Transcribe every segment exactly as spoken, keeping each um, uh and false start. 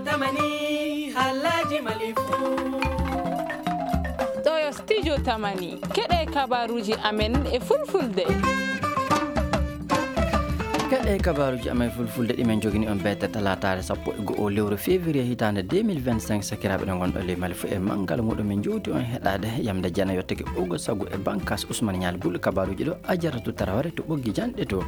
Tamani, halaji malifu. Ɗo yo studio Tamani. Keɗe kabaruji amen e fulfulde. Keɗe kabaruji amen fulfulde ɗi men jogini on bete talataare sappo e go'o lewru février hitaande deux mille vingt-cinq. Sakiraaɓe ɗo ngonɗo ley Mali fu e manngal muɗum, min jowti on heɗaade yamde jana yottake ogo sagu e bankas Ousmane Ñaali Bul kabaruji ɗo Ajaratu Taraware to ɓoggi janɗe to.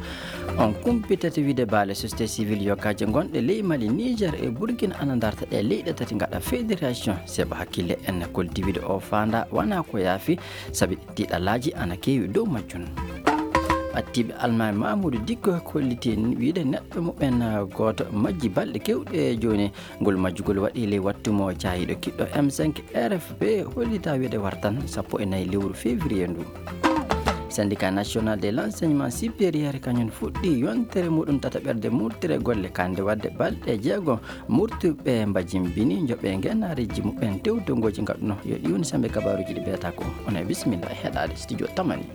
On kumpitete wiide baale société civile yogaje gonɗe ley Mali, Niger e Burkina ana darta ɗe leyɗe tati ngaɗa fédération. Seba hakkille en kolti wiide o faanda wana ko yaafi, sabi tiɗalaji ana keewi dow majjun. Ɓattiiɓe Almaami Mamoudou Dicko kolliti wiide neɗɗo muɓɓen gooto majji balɗe kewɗe jooni. Ngol majjugol waɗi ley wattu mo caayiɗo kiɗɗo M cinq R F P hollita wiide wartan sappo e nayi lewru février ndu. Syndicat National de l'Enseignement Supérieur kañum fuɗɗi yontere muɗum tataɓerde murtere golle kande wadde balɗe jeego murtuɓe mbajimbini joɓe ngenareji muɓɓen tewtongoji ngaɗuno yo ɗi woni sambe kabaruji ɗi ɓeeta ko. Onon e bisimilla e heɗade studio Tamani.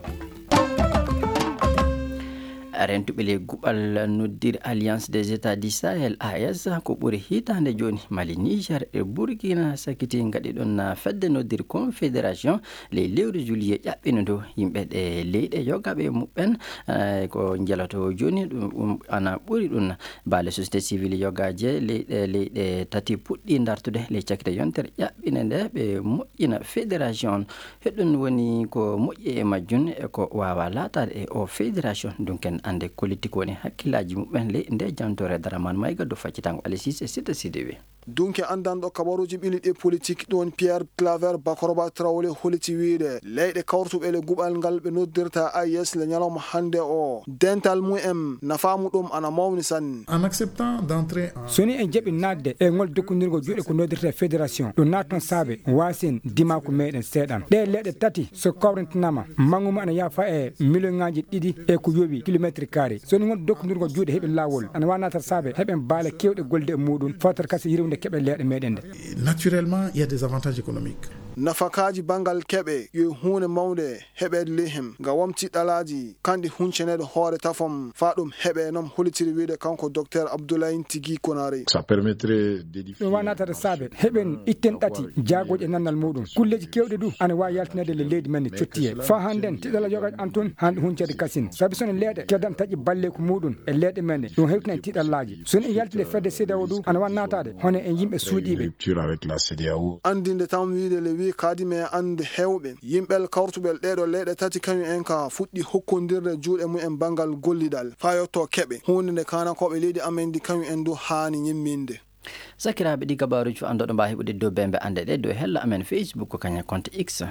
Rentuɓe ley guɓal noddir Alliance des États du Sahel, A E S, ko ɓuri hitaande jooni Mali, Niger e Burkina sakiti ngaɗi ɗon fedde noddir confédération ley lewru juillet ƴaɓɓino ndu. Yimɓe ɗe leyɗe yogaɓe muɓɓen, eh, ko njeloto jooni ɗum, ɗum ana ɓuri ɗum. Baale société civile yogaje leyɗe, leyɗe tati puɗɗi dartude ley cakite yontere ƴaɓɓine nde ɓe moƴƴina fédération on. Heɗun woni ko moƴƴi e majjun e ko waawa laataade e o fédération. Ɗun ken annde kollitti ko woni hakkillaaji muɓɓen ley nde jantore Daraman Mayga do faccitango Alisis e Sita Sidibe. Dunke anndanɗo kabaruuji ɓili ɗi politik ɗon Pierre Claver Bakoroba Traoré holliti wiide leyɗe kawrutuɓe le guɓal ngal ɓe noddirta A E S le ñalawma hannde o, dental mumen nafaamu ɗum ana mawni sanne. En acceptant d'entrer en So ni en jaɓi naatde e ngol dokkondirgol juuɗe ko noddirta fédération, ɗo naatton saabe waasin dimaaku meɗen seeɗan. Ɗee leɗɗe tati so kawrintinama, manngu mum ana yaafa e miliyonŋaaji ɗiɗi e ko yowi kilometre carré. So ni ngol dokkondirgol juuɗe heɓi laawol, ana waawi naatata saabe heɓen baale keewɗe golde e muɗum, fawtata kasi yirwinde keɓe leɗɗe meɗen nde. Naturellement, il y a des avantages économiques. Nafakaaji banngal keɓe yo huunde mawnde heɓeede ley heen, ngam wamti ɗalaaji kanɗi huncaneede hoore tafam faa ɗum heɓee, noon hollitiri wiyde kanko Docteur Abdoulaye Tigi Konaré. Ça permettrait d'édifier Ɗum waawna naatade saabe heɓen itten ɗati jaagooji e nannal muɗum. Kulleeji keewɗi du ana waawi yaltinaade le leydi men ne cottiye. Faa hannden tiɗalla yoga an tun hande huncaade kasin. Sabi so no leeɗe kedan taƴi balleeku muɗum e leeɗe men ɗe, ɗum hewtinan tiɗallaaji. So no en yalti le fedde CEDEAO du ana waawi naataade hono en yimɓe suuɗiiɓe. Rupture avec la CEDEAO. Anndinde tan wiyde le wii kaadi me annde heewɓe yimɓel kawrutuɓel ɗeeɗo leyɗe tati kañum en ka fuɗɗi hokkondirde juuɗe mumen banngal gollidal faa yotto keɓe, huunde nde kaanankooɓe leydi amen ndi kañum en du haani ñimminde. Sakiraaɓe, ɗi kabaaruuji fof anndooɗo mbaawi heɓude dow bembe annde ɗe dow hella amen Facebook ko kañum compte X.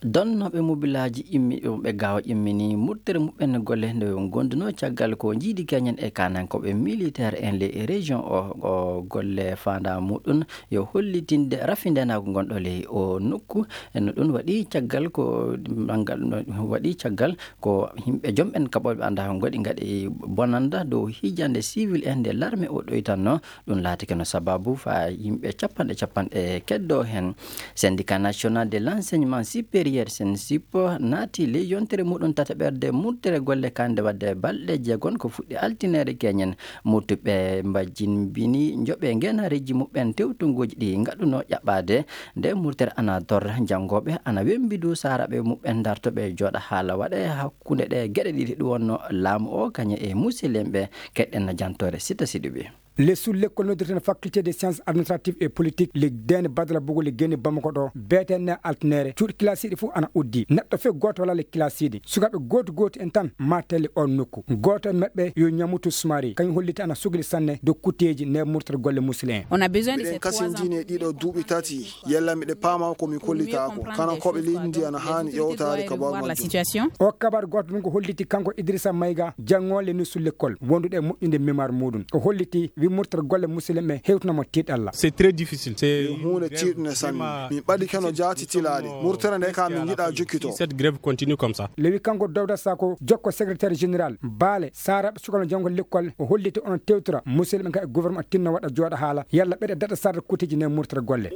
Donnooɓe mobilaaji immi ɗum ɓe gaawa immini murtere muɓɓen golle nde ngondunoo caggal ko njiidi keñen e kaanankooɓe militaire en ley région o, o golle faandaa muɗum yo hollitinde rafindenaagu ngonɗo ley o nokku. E no ɗum waɗi caggal ko banngal, no waɗi caggal ko yimɓe joom ɓen kaɓooɓe anndaa ko ngoɗi ngaɗi bonannda dow hijande civil en nde l'armée o ɗoytanno. Ɗum laatike no sababu faa yimɓe capanɗe capanɗe keddoo heen. Syndicat National de l'Enseignement Supérieur, SNESSIP, naati ley yontere muɗum tataɓerde murtere golle kande wadde balɗe jeegon ko fuɗɗi altineere keñen. Murtuɓe mbajjimbini njoɓe ngeenareeji muɓɓen tewtunguuji ɗi ngaɗunoo ƴaɓɓaade. Nde murtere ana dor, janngooɓe ana wembi du saaraaɓe muɓɓen dartoɓe jooɗa haala waɗa e hakkunde ɗe geɗe ɗiɗi ɗum wonno laamu o kañe e musilmɓe. Keɗɗen no jantoore Sita Sidibe. Lessul lekkol noddirten faculté des sciences administratives et politiques le dene badala bugo le geni Bamako ɗo, B T N altnere cuuɗi kilasiiɗi fof ana uddi. Neɗɗo fof gooto wala le kilasiiɗi. Sukaaɓe gooti gooti en tan mattele on nokku. Gooto e maɓɓe yo Ñamutu Sumari, kañum holliti ana sugli sanne dow kutteeji nde murtere golle musilme en. On a besoin de Miɗen ces trois ans. Kasindini e ɗiɗo duuɓi tati, yalla miɗe paama ko mi kollitaako. Kanankooɓe leydi ndi ana haani ƴeewtaade kabaaru majjum. O kabaru gooto ɗum ko holliti kanko Idrissa Mayga, janngoowo le nusu lekkol, wondude e moƴƴude mémoire muɗum. O holliti wi murtere golle musilme hewtuna mo tiiɗalla. C'est très difficile. C'est Ɗum huunde tiiɗunde sanne. Min ɓadi keno jaati tilaade. Murtere nde ka min njiɗa jokkito. Cette grève continue comme ça. Lewi kanko Dawda Sako, jokko secrétaire général, baale, saaraaɓe sukano janngo lekkol, o holliti onon tewtora musidɓe ka e gouvernement tinno waɗa jooɗa haala, yalla ɓeɗe daɗa sarde kutiji ne murtere golle.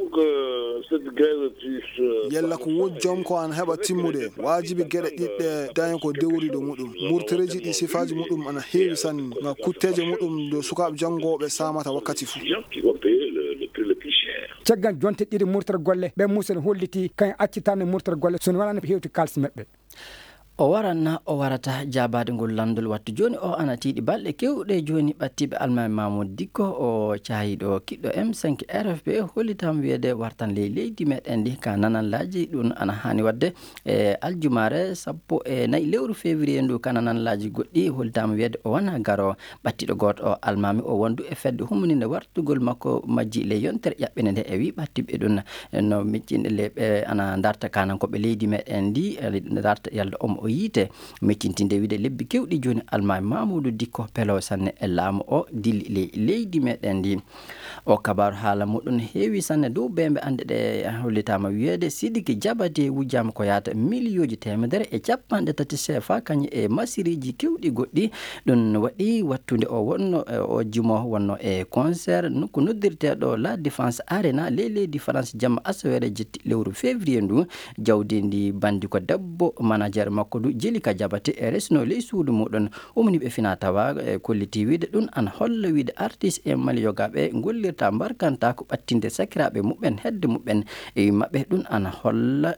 Yalla ko wujjom ko an heɓa timmude, waajibi geɗe ɗiɗɗe daña ko dewriɗo muɗum. Murtoreeji ɗi sifaaji muɗum ana heewi sanne, nga kutteeje muɗum ɗo sukaaɓe janngooɓe saamata wakkati fuu. Caggal jonte ɗiɗi murtor golle, ɓe musen holliti kañ accitanno murtor golle so wonano hewti kaalis maɓɓe. O waranna o warata jaabaade ngol lanndol wattu jooni o ana tiiɗi balɗe keewɗe jooni ɓattiiɓe almaami Mamoud Dikko o caayiiɗo kiɗɗo M cinq R F P hollitaama wiyeede wartan ley leydi meɗen ndi ka nanallaaji ɗum ana haani waɗde e aljumaare sappo e nayi lewru février ndu ka nanallaaji goɗɗi hollitaama wiyeede o wona garo ɓattiiɗo gooto o almaami o wondu e fedde hummuninde wartugol makko majji ley yontere ƴaɓɓinde nde e wii ɓattiiɓe ɗum no miccinɗe ley ɓe ana darta kanankooɓe leydi meɗen ndi darta yalda omo o yiite miccintinde wiide lebbi kewɗi jooni almaami Mamoudou Dikko pelo sanne e laamu o dilli ley leydi meɗen ndi. O kabaaru haala muɗum heewi sanne dow bembe annde ɗe hollitaama wiyeede Sidiki Jabate wujjaama ko yaata miliyooji teemedere e capanɗe tati sefa kañum e masiriji kewɗi goɗɗi. Ɗum waɗi wattude o wonno o jimo wonno e concert nokku noddirteeɗo La Défense Arena ley leydi France jamma asaweere jetti lewru février ndu. Jawdi ndi bandi ko debbo manager makko du Jelika Jabate e resno ley suudu muɗum. Umniiɓe fina tawa e kolliti wiide ɗum ana holla wiide artiste e maliyogaaɓe gollirta mbarkanta ko ɓattinde sakiraaɓe muɓɓen hedde muɓɓen e maɓɓe ɗum ana holla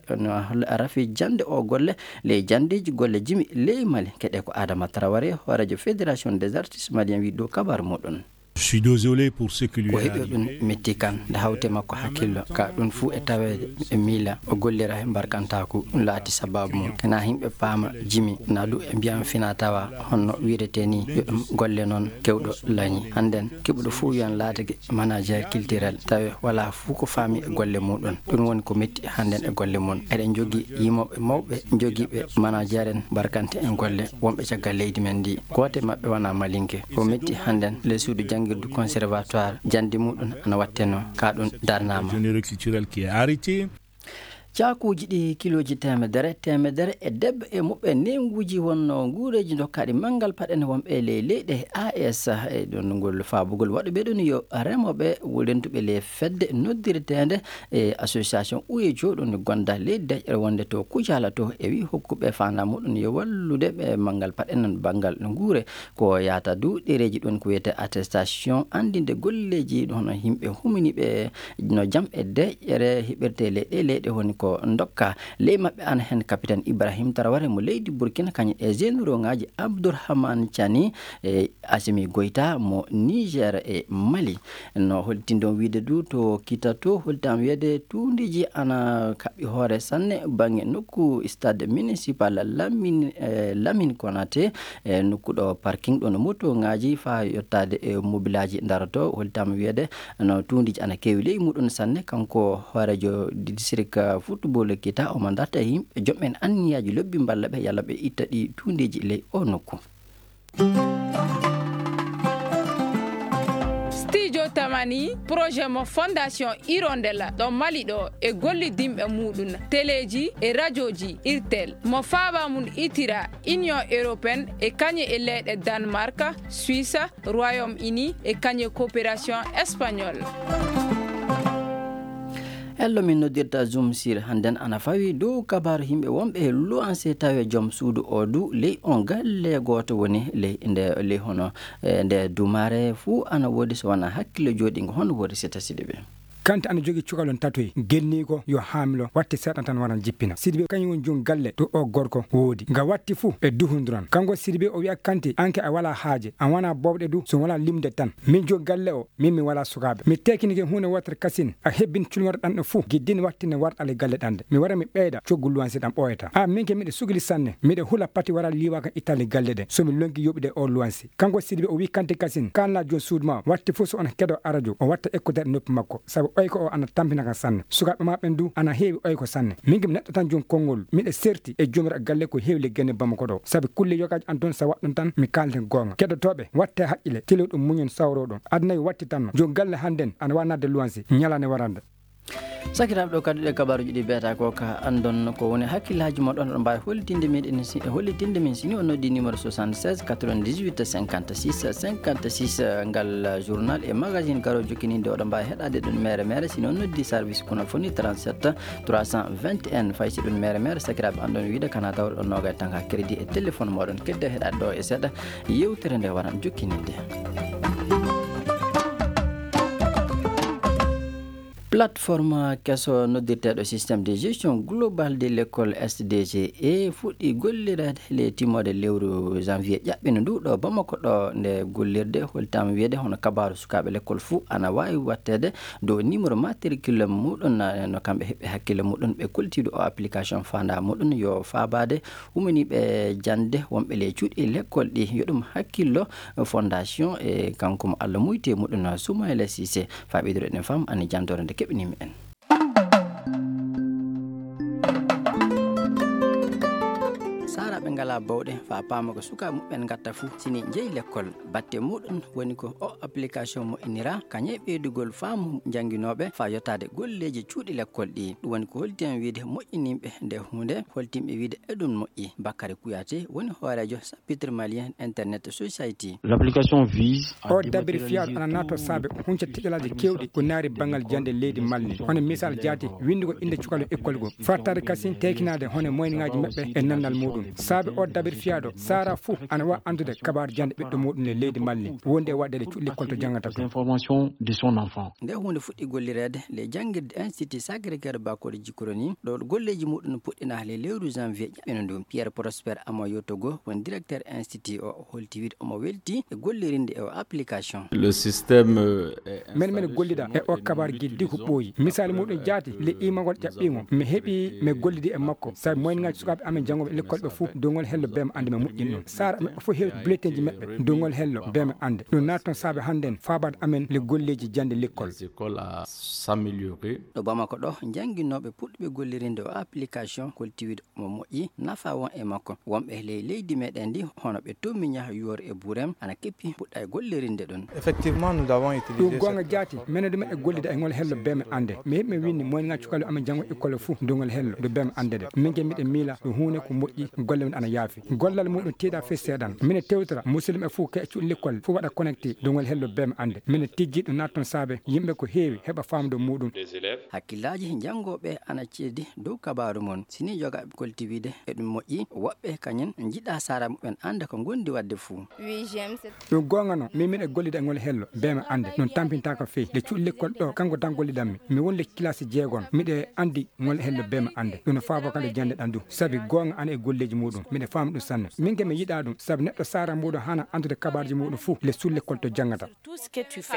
rafi jannde o golle ley janndeeji golle jimi ley Mali keɗe ko Adama Traoré hooreejo fédération des artistes maliens wii ɗo kabar muɗum. Je suis désolé pour ce qui lui ko est heɓi ɗum arrivé. Metti kan nde hawte makko hakkillo ka ɗum fuu e taweede e miila o gollira he mbarkantaaku ɗum laati sababu mum kena yimɓe paama jimi na du e mbiyan fina tawa honno wiirete ni yo ɗum golle noon kewɗo lañi hannden keɓuɗo fuu wiyan laatake manager culturel tawi wala fuu ko faami e golle muɗum ɗum woni ko metti hannden e golle mum eɗen jogii yimooɓe mawɓe jogiiɓe manager en mbarkante en golle wonɓe caggal leydi men ndi gooto e maɓɓe wona malinke ko metti hannden ley suudu janngirdu conservatoire jannde muɗum ana watteno ka ɗum darnaama Généreux culturel qui est arrêté. Caakuuji ɗi kilooji teemedere teemedere e debbo e muɓɓe neenguuji wonno nguureeji dokkaaɗi manngal paɗen wonɓe ley leyɗe A E S e ɗon ngol faabugol waɗuɓe ɗum yo remooɓe rentuɓe ley fedde noddirteende e association ueco ɗum gonda ley deƴƴere wonde to Kucala to e wi hokkuɓe faandaa muɗum yo wallude ɓe manngal paɗen banngal nguure ko yahata du ɗereeji ɗum ko wiyetee attestation anndinde golleeji hono yimɓe huminiiɓe no jam e deƴƴere heɓirtee ley ɗee leyɗe woni ko ndokka ley maɓɓe ana heen capitaine Ibrahim Traoré mo leydi Burkina kañum e généraux ŋaaji Abdourahmane Tiani e Assimi Goïta mo Niger e Mali no holtindon wiide du to kita to holtam wiyeede tuundiiji ana kaɓɓi hoore sanne bannge nokku stade municipal Lamine Lamine Konaté e nokku ɗo parking ɗo no moto ŋaaji faa yottaade e mobilaaji ndaroto holtam wiyeede no tuundiiji ana keewi ley muɗum sanne kanko hooreejo district football kita omo darta e yimɓe joom en anniyaaji lobbi mballa ɓe yalla ɓe itta ɗi tuundiiji ley o nokku. Studio Tamani projet mo fondation Hirondelle ɗo Mali ɗo e gollidinɓe muɗum teleeji e rajooji irtel mo faaba mum itira Union européenne e kañe e leyɗe Danemark, Suisse, Royaume-Uni e kañe coopération espagnole. Ello min noddirta Zoom sir hannden ana fawi dow kabaaru yimɓe wonɓe e luwanse tawi joom suudu o du ley on galle gooto woni ley nde ley hono e nde dumaare fuu ana woodi so wona hakkille jooɗingo hono woodi sita siɗi ɓe. Kante ana jogii cukalon tatoy genniiko yo haamilo watti seeɗa tan waran jippina sidibe kañum woni jom galle to o gorko woodi nga watti fuu ɓe duhondiran kanko sidibe o wiya kante anke a wala haaje a wona bowɗe du so wona limde tan min jom galle o min mi wala sukaaɓe mi tekinike huunde wootere kasin a hebbin culmorɗe ɗanɗe fuu giddin wattinde warɗale galle ɗanɗe mi wara mi ɓeyda coggu luwansi ɗam ɓooyata a minke miɗe sugli sanne miɗe hula pati wara liiwa kan ittali galle ɗe somi lonki yoɓude o luwansi kanko sidibe o wi kante kasin kalna jom suudu ma watti fuu so on kedo arajo o watta ekkudeɗe noppi makko sabu oyko o ana tampina kan sanne sukaaɓe ma ɓen du ana heewi oyko sanne minke mi neɗɗo tan jom konngol miɗe serti e jomiraɗo galle ko heewi le genne bamako ɗo sabu kulle yogaji an toon sa waɗɗon tan mi kalden goonga keɗotooɓe watte haqqille telo ɗum muñon sawro ɗum aduna yo watti tanno jom galle hannden ana wa nadde luwansi ñalande warande Sakiraaɓe, ɗo kadi ɗe kabaaruuji ɗi beeta ko ka anndon ko woni hakkillaaji mon ɗon, oɗon mbaawi hollitinde min, en si-, hollitinde min si ni on noddi numéro soixante-seize quatre-vingt-dix-huit cinquante-six cinquante-six, eh, ngal, eh, journal e magazine garo jokkininde, oɗon mbaawi heɗaade ɗum mere mere si ni on noddi service kono foni trente-sept trois cent vingt et un. Fay si ɗum mere mere, sakiraaɓe, anndon wiide kana tawreɗon noogay tan ka crédit e téléphone moɗon. Kedde heɗaade ɗo e seeɗa yewtere nde waran jokkininde. Plateforme keso noddirteeɗo système de gestion globale de l'école, S D G E, fuɗɗi gollireede le timmoode lewru janvier ƴaɓɓino ndu ɗo Bamako ɗo. Nde gollirde holtaama wiyeede hono kabaaru sukaaɓe lekkol fuu ana waawi watteede dow numéro matricule muɗum, no kamɓe heɓɓe hakkille muɗum ɓe koltiiɗo o application faandaa muɗum yo faabaade umaniiɓe jannde wonɓe le cuuɗi lekkol ɗi. Yo ɗum hakkillo fondation e kanko mo Allah muyti e muɗum Soumaïla Cissé. Faa ɓeydude ɗen fam ani jantoore nde keɓnimi en. Saaraaɓe ngalaa bawɗe faa paama ko sukaaɓe muɓɓen ngatta fuu sini njeyi lekkol. Batte muɗum woni ko o application moƴƴinira kañe ɓeydugol faamu jannginooɓe faa yottaade golleeji cuuɗi lekkol ɗi. Ɗum woni ko holti en wiide moƴƴiniiɓe nde huunde, holtimɓe wiide eɗum moƴƴi. Bakary Kouyaté woni hooreejo Pitre Malien Internet Society. L'application vise à O dabiri fiyaaɗo ana naatoo saabe hunca tiɗalaaji keewɗi ko naari banngal jannde leydi Mali. Hono misal jaati, winndugol innde cukalel école goo. Fartaade kasin teekinaade hono moyniŋaaji maɓɓe e nannal muɗum. Saabe o dabiri fiyaaɗo, saara fuu ana waawi anndude kabaaru jannde ɓiɗɗo muɗum e leydi Mali. Wonde e waɗde cuɗli kolto janngata to. Information de son enfant. Nde huunde fuɗɗi gollireede le janngirde Institut Sacré-Cœur Bakori Jikoroni, ɗo golleeji muɗum puɗɗinaa le lewru janvier ƴaɓɓino ndu. Pierre Prosper Amoyo Togo, woni directeur institut o, holti wiide omo welti e gollirinde e o application. Le système, euh, est Min, min installé gollida sur e o kabaaru giddi ko ɓooyi. Misaali muɗum jaati, le imagol ƴaɓɓiŋo. Mi heɓi, mi gollidi e makko. Sabi moyniŋaaji sukaaɓe amen janngooɓe lekkol ɓe fuu, dongol hello bee mi annde mi moƴƴin ɗum. Saara amen fof heewi bulletinji maɓɓe, dongol hello bee mi annde. Ɗum naatan saabe hannden faabaade amen le golleeji jannde lekkol. Les écoles à s'améliorer. Ɗo Bamako ɗo, jannginooɓe puɗɗuɓe gollirinde o application kolti wiide mo moƴƴi, nafa won e makko. Wonɓe ley leydi meɗen ndi, hono ɓe Tomiña, Yoor e Burem, ana keppi puɗɗa e gollirinde ɗum. Effectivement, nous avons utilisé Ɗum goonga cette jaati, plateforme menen ɗum e gollida e ngol hello bee mi annde. Mi heɓi mi winndi moyniŋaaji cukalel amen janngo école fuu dongol hello, ɗo bee mi annde de. Min ke miɗen miila ɗum huunde ko moƴƴi, golle men ana yaafi. Gollal muɗum tiiɗa fes seeɗan. Minen tewtora musidɓe fof ke cuɗi lekkol fof waɗa connecté dongol hello bee mi annde. Minen tijji ɗum naatton saabe yimɓe ko heewi heɓa faamde muɗum. Des élèves. Hakkillaaji janngooɓe ana ceddi dow kabaaru mon. Si ni jogaaɓe kolti wiide eɗum moƴƴi, woɓɓe kañen njiɗa saara muɓɓen annda ko ngondi waɗde fuu. Oui, j'aime cette Ɗum goonga non, min miɗa gollida e ngol hello, bee mi annde. Ɗum tampintaako feewi. Nde cuɗi lekkol ɗo, kanko tan gollidanmi. Mi won le kilasi jeegon, miɗa anndi ngol hello bee mi annde. Ɗum no faabo kala jannde ɗan du. Sabi goonga ana e golleeji muɗum. Miɗa faami ɗum sanne. Min ke mi yiɗa ɗum, sabi neɗɗo saara muɗum hana anndude kabaarji muɗum fuu, le sulle lekkol to janngata. Tout ce que tu fais.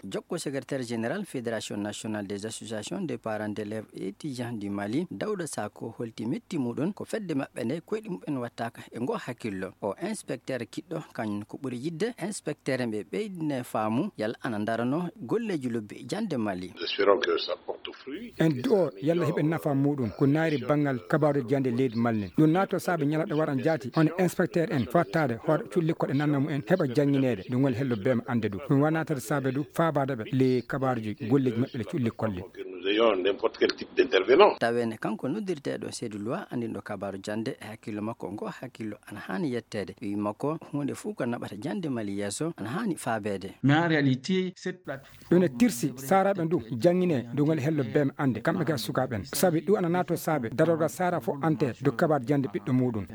Jokko secrétaire général Fédération nationale des associations des parents d'élèves et étudiants du Mali, Daouda Sako, holti metti muɗum ko fedde maɓɓe nde koyɗi muɓɓen wattaaka e ngo hakkillo. O inspecteur kiɗɗo, kañum ko ɓuri yidde inspecteur ɓe ɓeydine faamu yalla ana darano golleeji lobbi jannde Mali. Espérons que ça porte fruit. En du'o yalla heɓen nafa muɗum ko naari banngal kabaaru jannde leydi Mali. Ɗum naato saabe ñalaɗo waran jaati, hono inspecteur en fattaade hoore cuɗi lekkol e nanna mumen heɓa janngineede ɗum ngol hello bee mi annde du. Ɗum wanaatata saabe du faabaade ɓe le kabaaruji golleeji maɓɓe le cuɗi lekkol le. Que nous ayons n'importe quel type d'intervenant. Taweene kanko noddirteeɗo Seydou Loi anndinɗo kabaaru jannde e hakkillo makko ngo hakkillo ana haani yetteede. Wi makko huunde fuu ko naɓata jannde Mali yeeso ana haani faabeede. Mais en réalité, cette plateforme Ɗum ne tirsi saaraaɓe ndu janngine dongol hello bee mi annde kamɓe ka sukaaɓe en. Sabi ɗum ana naato saabe darorgal saara fof ante do kabaar jannde ɓiɗɗo muɗum.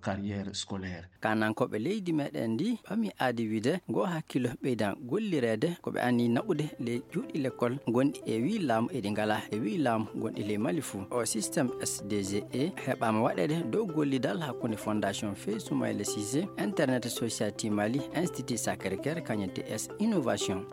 Carrière scolaire. Kanankooɓe leydi meɗen ndi ɓami aadi wiide ngo hakkillo ɓeydan gollireede ko ɓe anni naɓude le cuuɗi lekkol gonɗi e wi laamu e ɗi ngalaa e wi laamu gonɗi ley Mali fuu. O système S D G E heɓaama waɗeede dow gollidal hakkunde Fondation Feu Soumaïla Cissé, Internet Society Mali, Institut Sacré-Cœur, kañum T S Innovation.